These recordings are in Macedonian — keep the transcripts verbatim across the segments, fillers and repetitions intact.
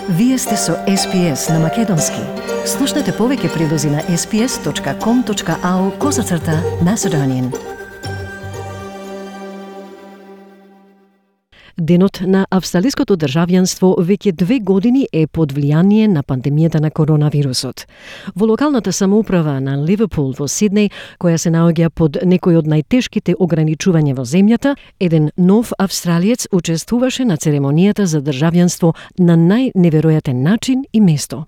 Вие сте со Ес Пи Ес на Македонски. Слушнете повеќе прилози на ес пи ес точка ком точка ау козацрта Macedonian. Денот на австралиското државјанство веќе две години е под влијание на пандемијата на коронавирусот. Во локалната самоуправа на Ливерпул во Сиднеј, која се наоѓа под некои од најтешките ограничувања во земјата, еден нов австралиец учествуваше на церемонијата за државјанство на најневеројатен начин и место.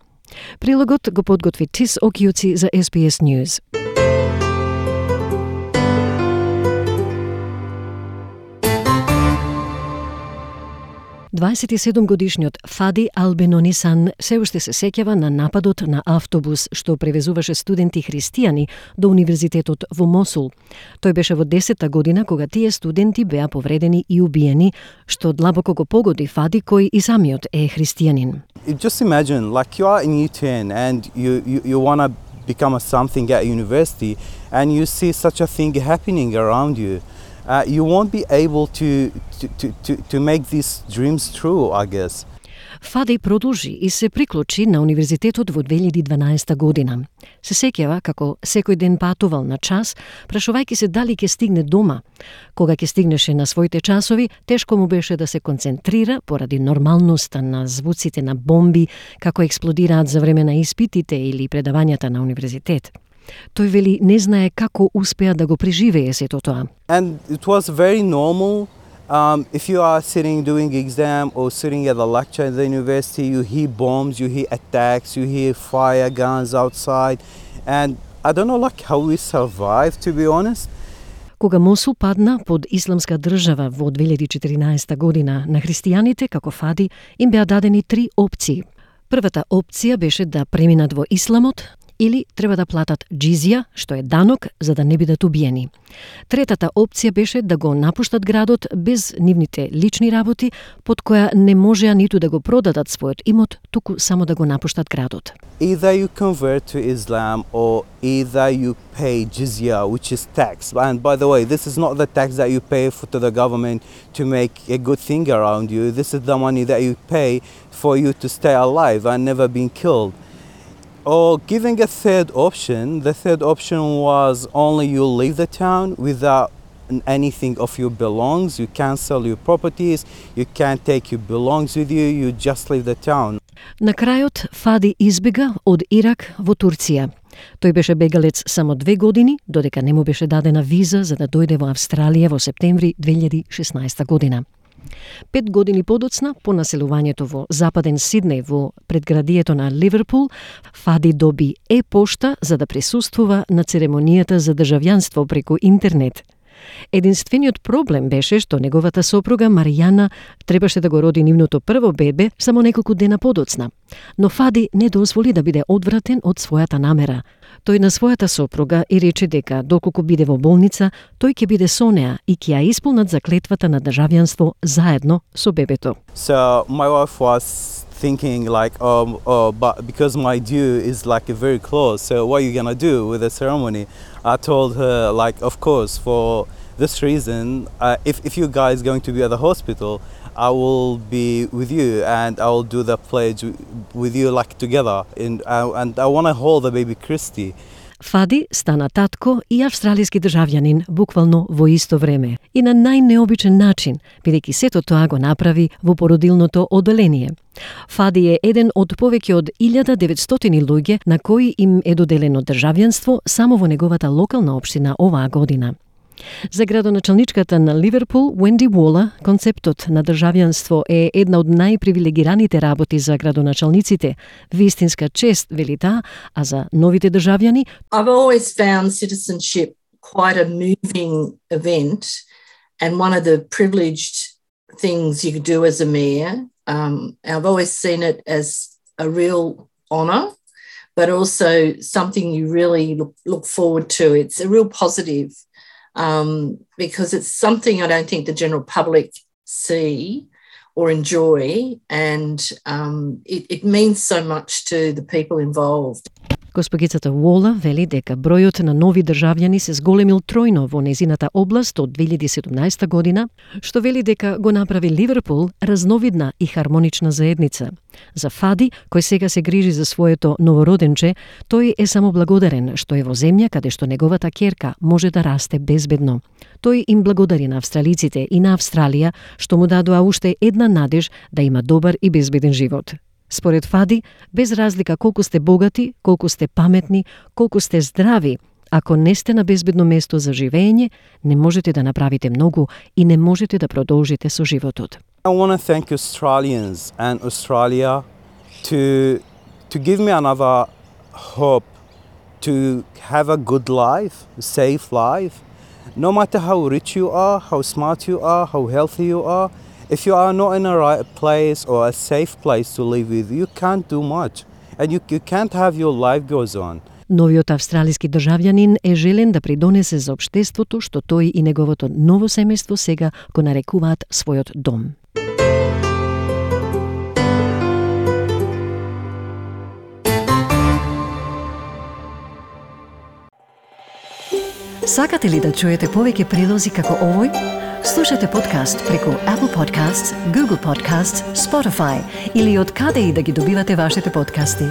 Прилогот го подготви Тис Окијуци за Ес Би Ес News. дваесет и седум годишниот Фади Албенонисан се уште се сеќава на нападот на автобус што превезуваше студенти христијани до универзитетот во Мосул. Тој беше во десетта година кога тие студенти беа повредени и убиени, што длабоко го погоди Фади кој и самиот е христијанин. Just imagine, like you are in U ten and you, you, you want to become a something at university and you see such a thing happening around you. Uh, you won't be able to, to, to, to make these dreams true, I guess. Фади продолжи и се приклучи на универзитетот во две илјади и дванаесета година. Се сеќава како секој ден патувал на час, прашувајќи се дали ќе стигне дома. Кога ќе стигнеше на своите часови, тешко му беше да се концентрира поради нормалноста на звуците на бомби како експлодираат за време на испитите или предавањата на универзитет. Тој вели не знае како успеа да го преживее сето тоа. And it was very normal. Um, if you are sitting doing exam or sitting at a lecture at the university, you hear bombs, you hear attacks, you hear fire guns outside. And I don't know like how we survived, to be honest. Кога Мосул падна под исламска држава во две илјади и четиринаесета година, на христијаните како Фади им беа дадени три опции. Првата опција беше да преминат во исламот, или треба да платат джизија, што е данок, за да не бидат убиени. Третата опција беше да го напуштат градот без нивните лични работи, под која не можеа ниту да го продадат својот имот, туку само да го напуштат градот. Either you convert to Islam or either you pay jizya, which is tax. And by the way, this is not the tax that you pay for, to the government to make a good thing around you. This is the money that you pay for you to stay alive and never being killed. Or giving a third option, the third option was only you leave the town without anything of your belongings, you can't sell your properties, you can't take your belongings with you, you just leave the town. На крајот Фади избега од Ирак во Турција. Тој беше бегалец само две години, додека не му беше дадена виза за да дојде во Австралија во септември две илјади и шеснаесета година. Пет години подоцна, по населувањето во западен Сиднеј во предградието на Ливерпул, Фади доби е-пошта за да присуствува на церемонијата за државјанство преку интернет. Единствениот проблем беше што неговата сопруга Маријана требаше да го роди нивното прво бебе само неколку дена подоцна. Но Фади не дозволи да биде одвратен од својата намера. Тој на својата сопруга и рече дека доколку биде во болница, тој ќе биде со неа и ќе ја исполнат заклетвата на државјанство заедно со бебето. So my wife was thinking like, um, oh, but because my due is like very close, so what are you gonna do with the ceremony? I told her like, of course, for this reason, uh, if if you guys going to be at the hospital, I will be with you and I will do the pledge with you like together, and uh, and I want to hold the baby Christy. Фади стана татко и австралиски државјанин буквално во исто време и на најнеобичен начин, бидејќи сето тоа го направи во породилното одделение. Фади е еден од повеќе од илјада деветстотини луѓе на кои им е доделено државјанство само во неговата локална општина оваа година. За градоначалничката на Ливерпул, Уенди Уолер, концептот на државјанство е една од најпривилегираните работи за градоначалниците. Вистинска чест, вели таа, а за новите државјани... I've always found citizenship quite a moving event and one of the privileged things you could do as a mayor. Um, I've always seen it as a real honour, but also something you really look, look forward to. It's a real positive. Um, because it's something I don't think the general public see or enjoy, and um, it, it means so much to the people involved. Госпогицата Уола вели дека бројот на нови државјани се зголемил тројно во незината област од две илјади и седумнаесета година, што вели дека го направи Ливерпул разновидна и хармонична заедница. За Фади, кој сега се грижи за своето новороденче, тој е само благодарен што е во земја каде што неговата ќерка може да расте безбедно. Тој им благодари на австралиците и на Австралија што му дадоа уште една надеж да има добар и безбеден живот. Според Фади, без разлика колку сте богати, колку сте паметни, колку сте здрави, ако не сте на безбедно место за живење, не можете да направите многу и не можете да продолжите со животот. I want to thank Australians and Australia to to give me another hope to have a good life, a safe life. No matter how rich you are, how smart you are, how healthy you are, if you are not in a right place or a safe place to live with, you can't do much. And you, you can't have your life goes on. Новиот австралиски државјанин е желен да придонесе за општеството што тој и неговото ново семејство сега го нарекуваат својот дом. Сакате ли да чуете повеќе прилози како овој? Слушате подкаст преку Apple Podcasts, Google Podcasts, Spotify или од каде и да ги добивате вашите подкасти.